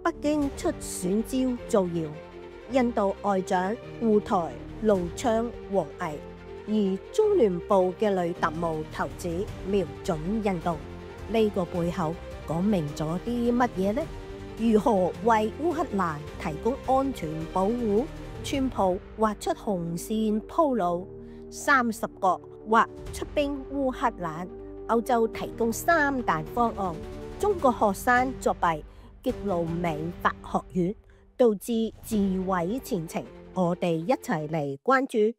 北京出選招造謠，印度外長赴台怒嗆王毅，而中聯部嘅女特務頭子瞄準印度，呢個背後講明咗啲乜嘢呢？如何為烏克蘭提供安全保護？川普劃出紅線鋪路，30國或出兵烏克蘭，歐洲提供3大方案，中國學生作弊，激怒美法學院，導致自毀前程。我哋一齊嚟關注。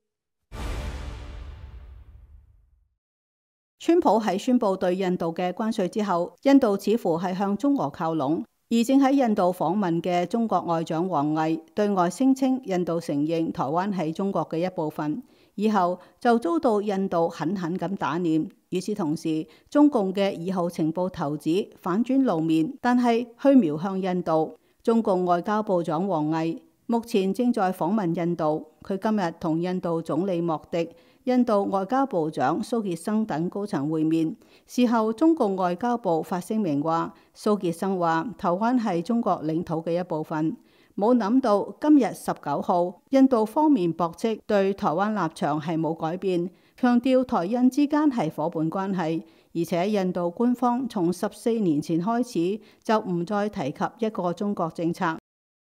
川普喺宣布對印度嘅關稅之後，印度似乎係向中俄靠攏，而正喺印度訪問嘅中國外長王毅對外聲稱印度承認台灣係中國嘅一部分，以後就遭到印度狠狠咁打臉。與此同時，中共嘅2號情報頭子反轉露面，但係去瞄向印度。中共外交部長王毅目前正在訪問印度，佢今日同印度總理莫迪、印度外交部長蘇傑生等高層會面。事後，中共外交部發聲明話，蘇傑生話台灣係中國領土嘅一部分。冇諗到今日19號，印度方面駁斥對台灣立場係冇改變，強調台印之間係夥伴關係，而且印度官方從14年前開始就唔再提及一個中國政策。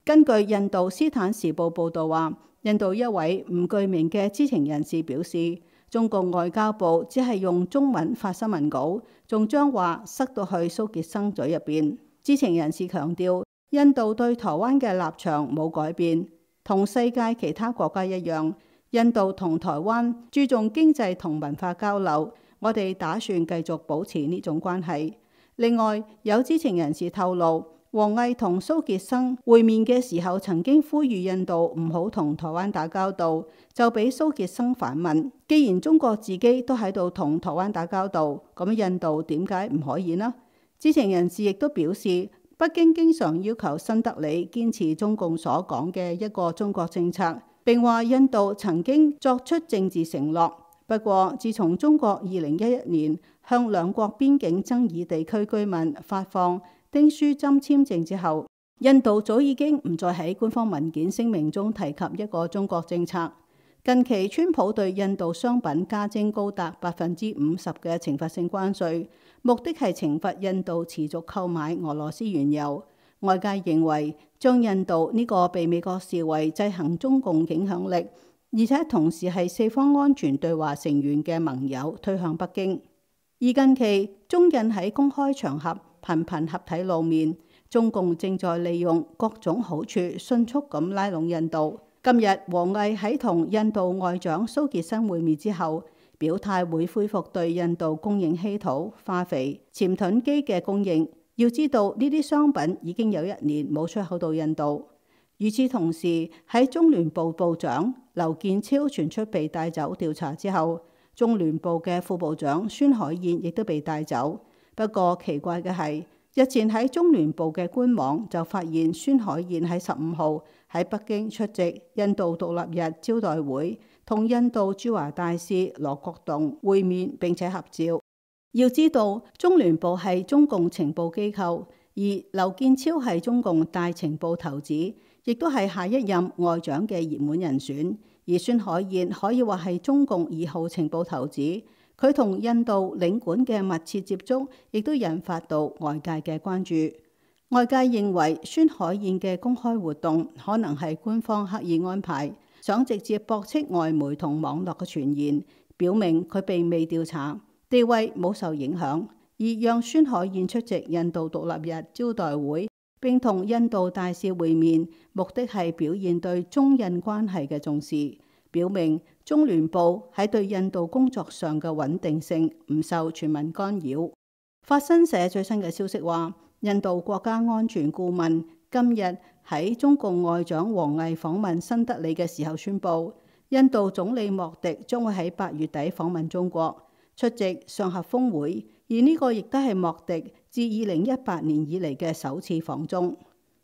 根據印度斯坦時報報導話，印度一位唔具名嘅知情人士表示，中共外交部只係用中文發新聞稿，仲將話塞到去蘇傑生嘴入邊。知情人士強調，印度對台灣嘅立場冇改變，同世界其他國家一樣，印度同台灣注重經濟同文化交流，我哋打算繼續保持呢種關係。另外，有知情人士透露，王毅同蘇傑生會面嘅時候，曾經呼籲印度唔好同台灣打交道，就俾蘇傑生反問：既然中國自己都喺度同台灣打交道，咁印度點解唔可以呢？知情人士亦都表示，北京經常要求新德里堅持中共所講嘅一個中國政策，並話印度曾經作出政治承諾。不過，自從中國2011年向兩國邊境爭議地區居民發放丁書針簽證之後，印度早已經唔再喺官方文件聲明中提及一個中國政策。近期，川普對印度商品加徵高達50%嘅懲罰性關稅，目的係懲罰印度持續購買俄羅斯原油。外界認為，將印度呢個被美國視為制衡中共影響力，而且同時係四方安全對話成員嘅盟友推向北京。而近期，中印喺公開場合頻頻合體露面，中共正在利用各種好處迅速咁拉攏印度。今日王毅喺同印度外長蘇傑生會面之後，表態會恢復對印度供應稀土、化肥、潛盾機嘅供應。要知道呢啲商品已經有1年冇出口到印度。與此同時，喺中聯部部長劉建超傳出被帶走調查之後，中聯部嘅副部長孫海燕亦都被帶走。不過奇怪嘅係，日前喺中聯部嘅官網就發現孫海燕喺15號喺北京出席印度獨立日招待會，同印度駐華大使羅國棟會面並且合照。要知道，中聯部係中共情報機構，而劉建超係中共大情報頭子，亦都係下一任外長嘅熱門人選。而孫海燕可以話係中共2號情報頭子，佢同印度領館嘅密切接觸，亦都引發到外界嘅關注。外界認為孫海燕嘅公開活動可能係官方刻意安排，想直接駁斥外媒同網絡嘅傳言，表明佢並未調查，地位冇受影響，而讓孫海燕出席印度獨立日招待會並同印度大使會面，目的係表現對中印關係嘅重視，表明中聯部喺對印度工作上嘅穩定性唔受全民干擾。法新社最新嘅消息話，印度國家安全顧問今日喺中共外長王毅訪問新德里嘅時候宣布，印度總理莫迪將會喺8月底訪問中國，出席上合峰會，而呢個亦都係莫迪自2018年以嚟嘅首次訪中。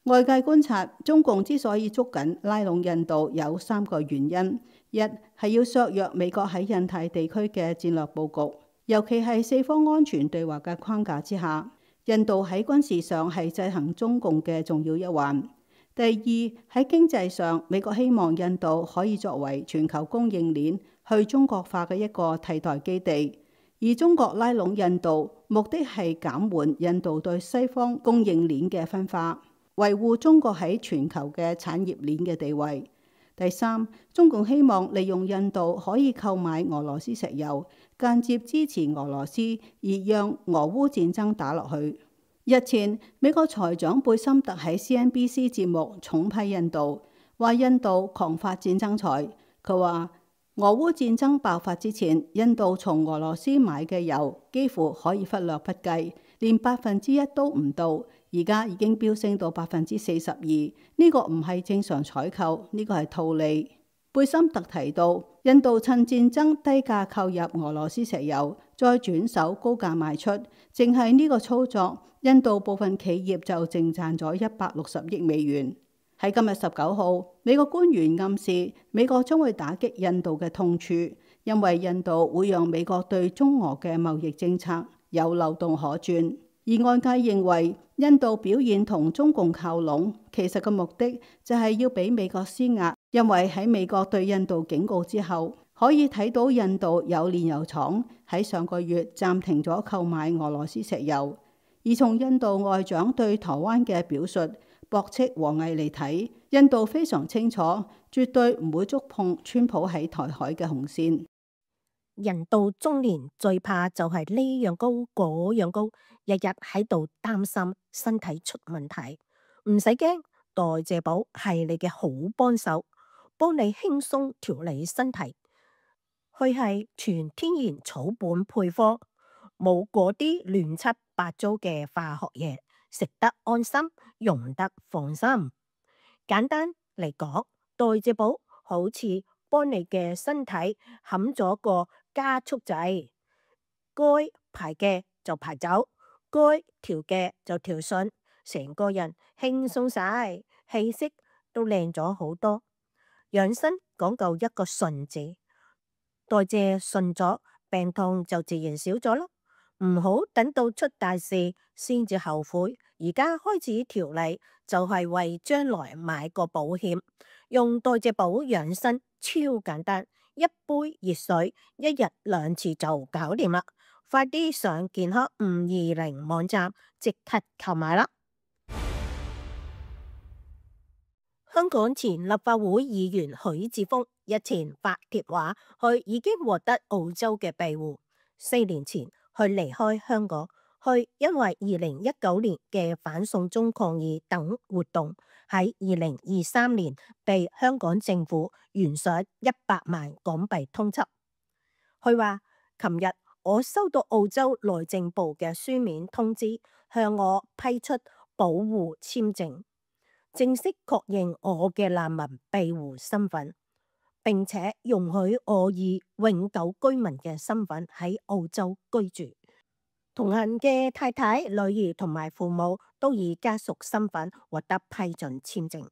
外界觀察，中共之所以捉緊拉攏印度有3個原因：一係要削弱美國喺印太地區嘅戰略佈局，尤其係四方安全對話嘅框架之下；印度喺軍事上係制衡中共嘅重要一環。第二，喺經濟上，美國希望印度可以作為全球供應鏈去中國化嘅一個替代基地，而中國拉攏印度，目的係減緩印度對西方供應鏈嘅分化，維護中國喺全球嘅產業鏈嘅地位。第三，中共希望利用印度可以購買俄羅斯石油，間接支持俄羅斯，而讓俄烏戰爭打落去。日前，美國財長貝森特喺 CNBC 節目重批印度，話印度狂發戰爭財。佢話俄烏戰爭爆發之前，印度從俄羅斯買嘅油幾乎可以忽略不計，連1%都唔到，而家已經飆升到42%。呢個唔係正常採購，呢個係套利。貝森特提到，印度趁戰爭低價購入俄羅斯石油，再轉手高價賣出，淨係呢個操作，印度部分企業就淨賺咗160億美元。喺今日19號，美國官員暗示美國將會打擊印度嘅痛處，因為印度會讓美國對中俄嘅貿易政策有漏洞可鑽。而外界認為印度表現同中共靠攏，其實個目的就係要俾美國施壓，因為喺美國對印度警告之後，可以睇到印度有煉油廠喺上個月暫停咗購買俄羅斯石油。而從印度外長對台灣嘅表述駁斥王毅嚟睇，印度非常清楚，絕對唔會觸碰川普喺台海嘅紅線。人到中年最怕就係呢樣高嗰樣高，日日喺度擔心身體出問題。唔使驚，代謝寶係你嘅好幫手，幫你輕鬆調理身體。佢係全天然草本配方，冇嗰啲亂七八糟嘅化學嘢，食得安心，用得放心。簡單嚟講，代謝寶好似幫你嘅身體冚咗個加速掣，該排嘅就排走，該調嘅就調順，成個人輕鬆晒，氣色都靚咗好多。養生講究一個順字，代謝順咗，病痛就自然少咗咯。唔好等到出大事先至後悔，而家開始調理就係為將來買個保險。用代謝寶養生超簡單，一杯熱水1日2次就搞掂啦！快啲上健康520網站即刻購買啦！香港前立法會議員許智峰日前發帖話，佢已經獲得澳洲嘅庇護。4年前，佢離開香港，佢因為2019年嘅反送中抗議等活動，喺2023年被香港政府懸賞100萬港幣通緝。佢話：琴日我收到澳洲內政部嘅書面通知，向我批出保護簽證，正式確認我嘅難民庇護身份，並且容許我以永久居民嘅身份喺澳洲居住。同行嘅太太、女兒同埋父母都以家屬身份獲得批准簽證。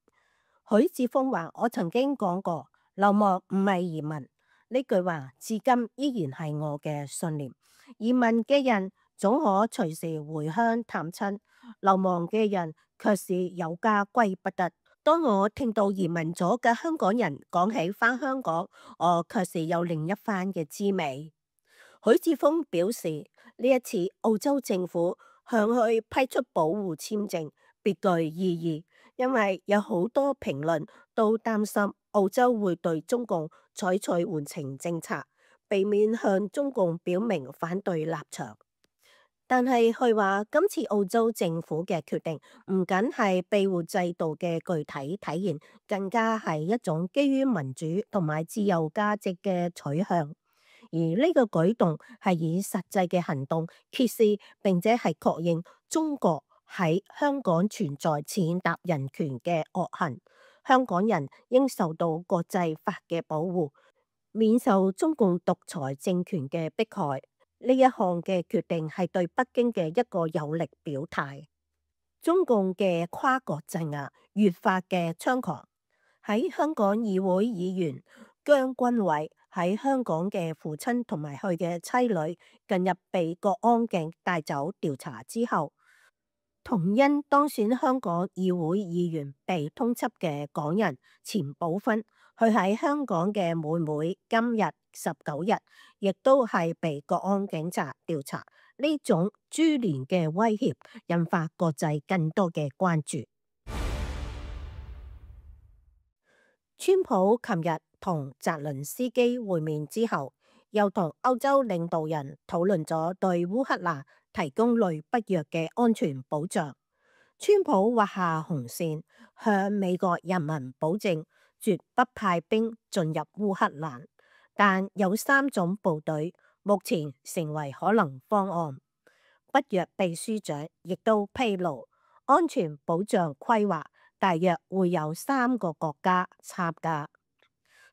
許智峰話：我曾經講過，流亡唔係移民，呢句話至今依然係我嘅信念。移民嘅人總可隨時回鄉探親，流亡嘅人卻是有家歸不得。當我聽到移民咗嘅香港人講起返香港，我卻是有另一番嘅滋味。許智峰表示，呢一次澳洲政府向佢批出保護簽證，別具意義，因為有好多評論都擔心澳洲會對中共採取緩情政策，避免向中共表明反對立場。但係佢話，今次澳洲政府嘅決定唔僅係庇護制度嘅具體體現，更加係一種基於民主同埋自由價值嘅取向。而呢個舉動係以實際嘅行動揭示並且係確認中國喺香港存在踐踏人權嘅惡行，香港人應受到國際法嘅保護，免受中共獨裁政權嘅迫害。呢一項嘅決定係對北京嘅一個有力表態。中共嘅跨國鎮壓越發嘅猖狂，喺香港議會議員姜君偉喺香港嘅父親同埋佢嘅妻女近日被國安警帶走調查之後，同因當選香港議會議員被通緝嘅港人錢寶芬，佢喺香港嘅妹妹今日19日，亦都係被國安警察調查。呢種株連嘅威脅，引發國際更多嘅關注。川普琴日同澤倫斯基會面之後，又同歐洲領導人討論咗對烏克蘭提供雷不約嘅安全保障。川普劃下紅線，向美國人民保證絕不派兵進入烏克蘭，但有3種部隊目前成為可能方案。北約秘書長亦都披露，安全保障規劃大約會有3個國家參加。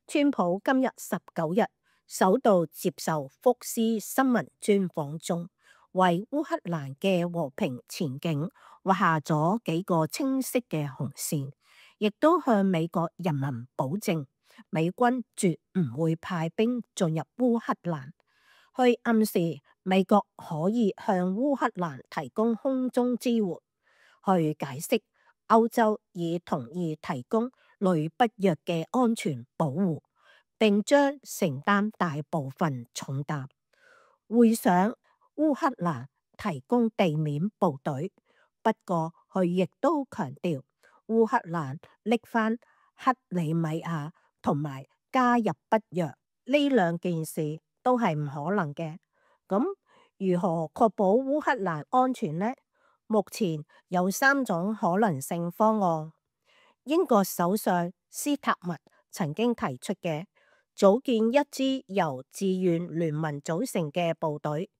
川普今日19日首度接受福斯新聞專訪中，為烏克蘭嘅和平前景畫下咗幾個清晰嘅紅線，亦都向美國人民保證，美軍絕唔會派兵進入烏克蘭，去暗示美國可以向烏克蘭提供空中支援，去解釋歐洲已同意提供雷不約嘅安全保護，並將承擔大部分重擔。會上烏克蘭提供地面部隊，不過佢亦都強調烏克蘭拎返克里米亞同埋加入北約呢2件事都係唔可能嘅。咁如何確保烏克蘭安全呢？目前有3種可能性方案。英國首相斯塔默曾經提出嘅組建一支由志願聯盟組成嘅部隊，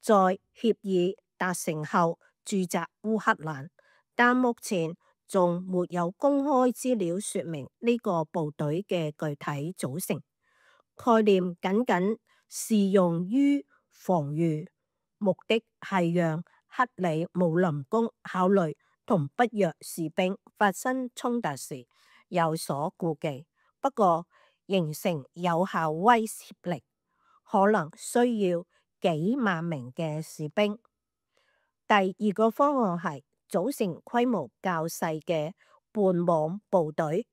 在協議達成後駐紮烏克蘭，但目前仲沒有公開資料說明呢個部隊嘅具體組成。概念僅僅適用於防禦，目的係讓克里姆林宮考慮同北約士兵發生衝突時有所顧忌。不過形成有效威懾力，可能需要幾萬名嘅士兵。第2個方案係組成規模較細嘅半網部隊，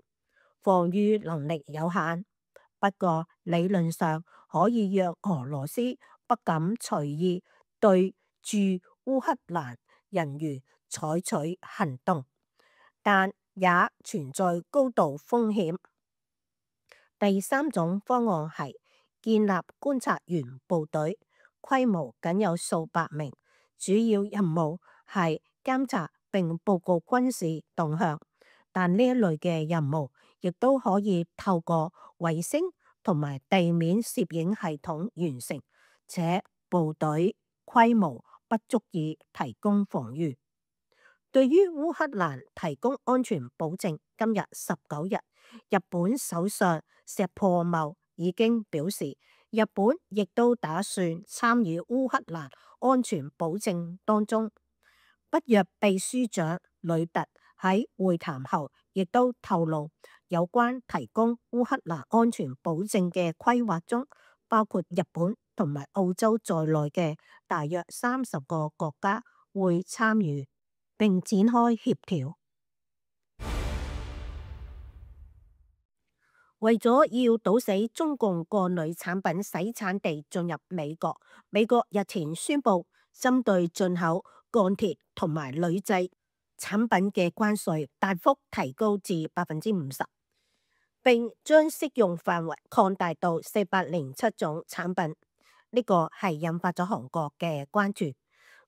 防禦能力有限，不過理論上可以讓俄羅斯不敢隨意對駐烏克蘭人員採取行動，但也存在高度風險。第3種方案係建立觀察員部隊，規模僅有數百名，主要任務係監察並報告軍事動向，但呢一類嘅任務亦都可以透過衛星同埋地面攝影系統完成，且部隊規模不足以提供防禦。對於烏克蘭提供安全保證，今日19日，日本首相石破茂已經表示，日本亦都打算參與烏克蘭安全保證當中。北約秘書長呂特喺會談後亦都透露，有關提供烏克蘭安全保證嘅規劃中，包括日本同埋澳洲在內嘅大約30個國家會參與並展開協調。為咗要堵死中共鋼鋁產品洗產地進入美國，美國日前宣布針對進口鋼鐵同埋鋁製產品嘅關稅大幅提高至50%，並將適用範圍擴大到407種產品。呢個係引發咗韓國嘅關注。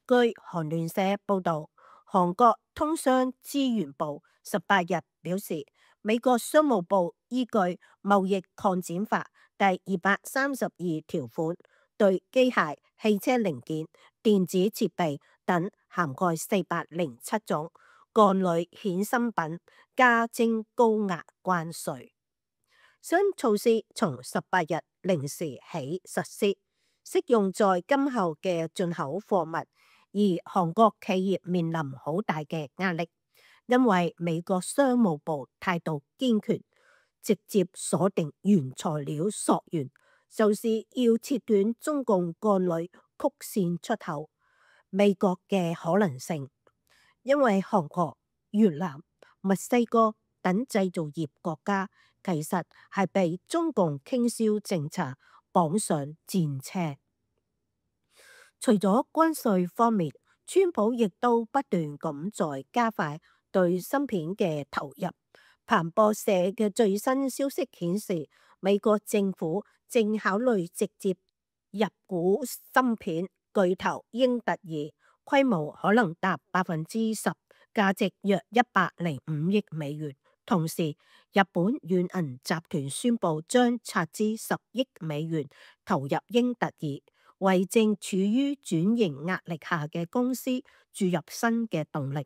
據韓聯社報道，韓國通商資源部18日表示，美國商務部依據貿易擴展法第232條款，對機械、汽車零件、電子設備等涵蓋407種鋼鋁衍生品加徵高額關稅。新措施從18日零時起實施，適用在今後嘅進口貨物。而韓國企業面臨好大嘅壓力，因為美國商務部態度堅決，直接鎖定原材料溯源，就是要切斷中共鋼鋁曲線出口美國嘅可能性。因為韓國、越南、墨西哥等製造業國家其實係被中共傾銷政策綁上戰車。除咗關稅方面，川普亦都不斷咁在加快對芯片嘅投入。彭博社嘅最新消息顯示，美國政府正考慮直接入股芯片巨頭英特爾，規模可能達10%，價值約105億美元。同時，日本軟銀集團宣布將斥資10億美元投入英特爾，為正處於轉型壓力下嘅公司注入新嘅動力。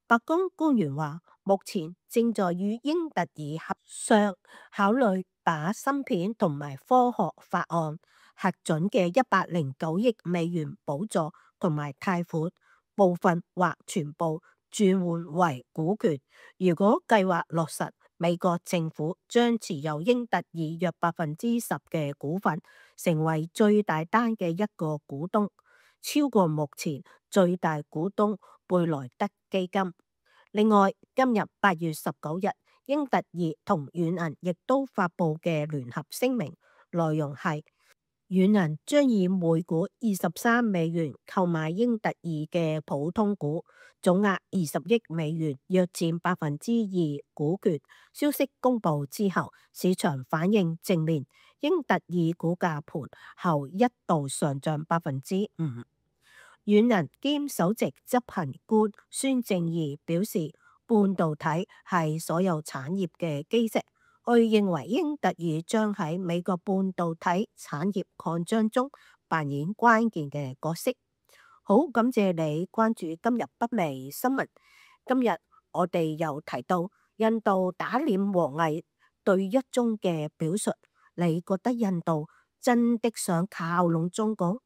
白宮官員話，目前正在與英特爾合商，考慮把芯片同埋科學法案核准嘅109億美元補助同埋貸款，部分或全部轉換為股權。如果計劃落實，美國政府將持有英特爾約10%嘅股份，成為最大單嘅一個股東，超過目前最大股東貝萊德基金。另外，今日8月19日，英特爾同軟銀亦都發布嘅聯合聲明，內容係軟銀將以每股23美元購買英特爾嘅普通股，總額20億美元，約佔2%股權。消息公布之後，市場反應正面，英特爾股價盤後一度上漲5%。軟銀兼首席執行官孫正義表示，半導體係所有產業嘅基石。佢認為英特爾將喺美國半導體產業擴張中扮演關鍵嘅角色。好，感謝你關注今日北美新聞。今日我哋又提到印度打臉王毅對一中嘅表述，你覺得印度真的想靠攏中國？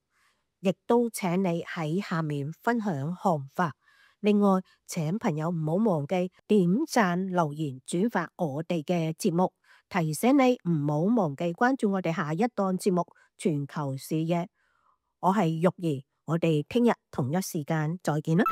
亦都請你喺下面分享看法。另外，請朋友唔好忘記點讚、留言、轉發我哋嘅節目。提醒你唔好忘記關注我哋下一檔節目《全球視野》。我係玉兒，我哋聽日同一時間再見啦。